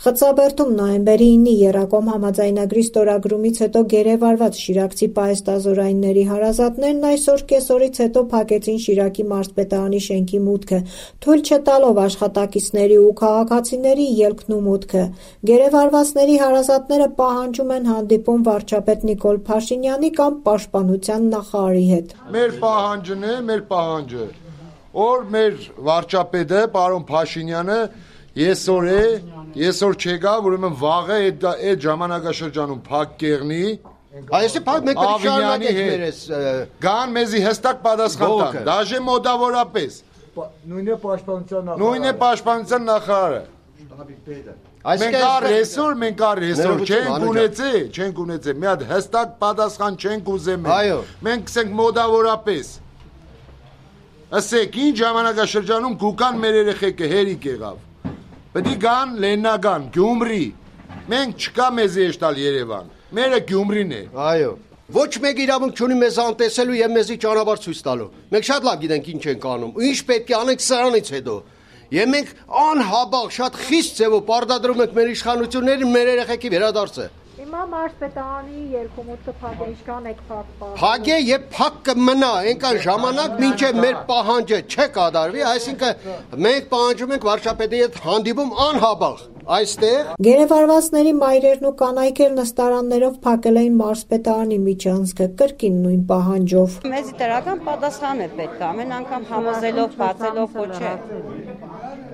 Խծաբերդում նոյեմբերի 9-ի Եռակոմ համաձայնագրի ստորագրումից հետո գերեվարված շիրակցի պահեստազորայինների հարազատներն այսօր կեսօրից հետո փակեցին Շիրակի մարզպետարանի շենքի մուտքը, թույլ չտալով աշխատակիցների ու քաղաքացիների ելքն ու մուտքը։ Գերեվարվածների հարազատները պահանջում են հանդիպում վարչապետ Նիկոլ Փաշինյանի կամ Պաշտպանության նախարարի հետ։ Մեր պահանջն է, մեր պահանջը, որ մեր վարչապետը, պարոն Փաշինյանը Եսօր չեկա, ուրեմն վաղը այդ ժամանակաշրջանում փակ կեղնի Այսի փակ մենք Ավինյանի հետ գան մեզի հստակ պատասխան տան, դաժե մոտավորապես նույն է պաշտպանության նախարարը մենք առեսօր չենք ունեցել մի հատ հստակ պատասխան չենք ուզում մենք կսենք մոտավորապես ասեք ինչ ժամանակաշրջանում գուկան մեր երեխեքը հերիք եղավ Պետք է գան Լեննագան, Գյումրի, մենք չկա մեզի եշտալ Երևան, մերը Գյումրին է։ Այո, ոչ մեկ իրավունք չունի մեզ անտեսելու և մեզի ճանապարհ ցույց տալու։ Մենք շատ լավ գիտենք ինչ ենք անում, ինչ պետք է անենք սրանից հետո։ Եվ մենք անհաբաղ շատ խիստ ձևով պարտադրում ենք մեր իշխանություններին մեր երեխեքի վերադարձը։ Հիմա մարզպետարանի երկումուտքը փակ է, ինչքան եք փակ։ Փակ է եւ փակ կմնա, այնքան ժամանակ մինչեւ մեր պահանջը չկատարվի, այսինքն մենք պահանջում ենք վարչապետի հետ հանդիպում անհաբաղ այստեղ։ Գերեվարվածների մայրերն ու կանայք էլ նստարաններով փակել էին մարզպետարանի միջանցքը, կրկին նույն պահանջով։ Մեզ դրական պատասխան է պետք, ամեն անգամ համոզելով, բացելով, ոչ է։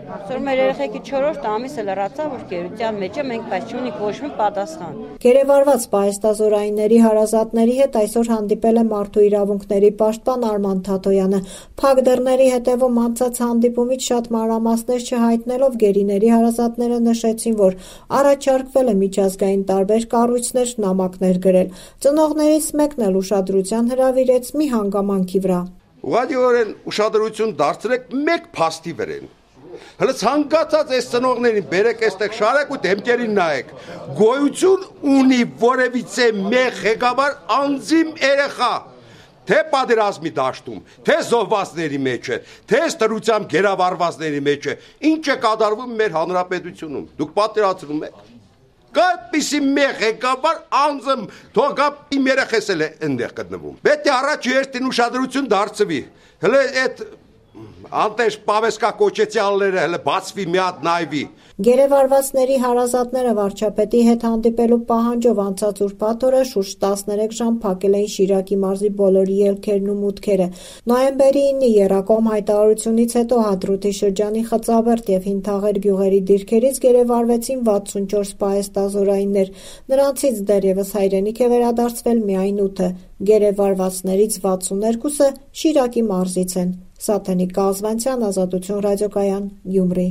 Այսօր մեր երեխեքի 4-րդ ամիսը լրացավ, որ գերության մեջ է, մենք բայց չունենք ոչ մի պատասխան։ Գերեվարված պահեստազորայինների հարազատների հետ այսօր հանդիպել է Մարդու իրավունքների պաշտպան Արման Թաթոյանը։ Փակ դռների հետևում անցած հանդիպումից շատ մանրամասներ չհայտնելով գերիների հարազատները նշեցին, որ առաջարկվել է միջազգային տարբեր կառույցներ նամակներ գրել։ Ծնողներից մեկն էլ ուշադրության հրավիրեց մի հանգամանքի վրա։ Ուղղակիորեն ուշադրություն դարձրեք մեկ փաստի վրան։ Հələ ցանկացած այս ծնողներին բերեք այստեղ շարեք ու դեմքերին նայեք։ Գոյություն ունի որևիցե մեկ ղեկավար անձիմ երեխա, թե պատերազմի դաշտում, թե զոհվածների մեջ է, թե ստրությամբ գերավարվածների մեջ է, ինչ է կատարվում մեր հանրապետությունում։ Դուք պատերացնում եք։ Կայպիսի մեկ ղեկավար անձը թողա իմ երեխես էլ է այնտեղ գտնվում։ Պետք է առաջ երթին ուշադրություն դարձվի։ Հələ այդ Անտեշ պավեսկա կոչեցյալները հələ բացվի մի հատ նայվի։ Գերեվարվածների հարազատները վարչապետի հետ հանդիպելու պահանջով անցած ուրբաթ օրը շուրջ 13 ժամ փակել էին Շիրակի մարզի բոլոր ելքերն ու մուտքերը։ Նոյեմբերի 9-ի Եռակոմ հայտարարությունից հետո Հադրութի շրջանի Խծաբերդ եւ Հինթաղեր գյուղերի դիրքերից գերեվարվեցին 64 պահեստազորայիններ։ Նրանցից դեռևս հայրենիք է վերադարձվել միայն 8-ը։ Գերեվարվածներից 62-ը Շիրակի մարզից են։ Սաթենիկ Կազվանցյան, Ազատություն ռադիոկայան, Գյումրի։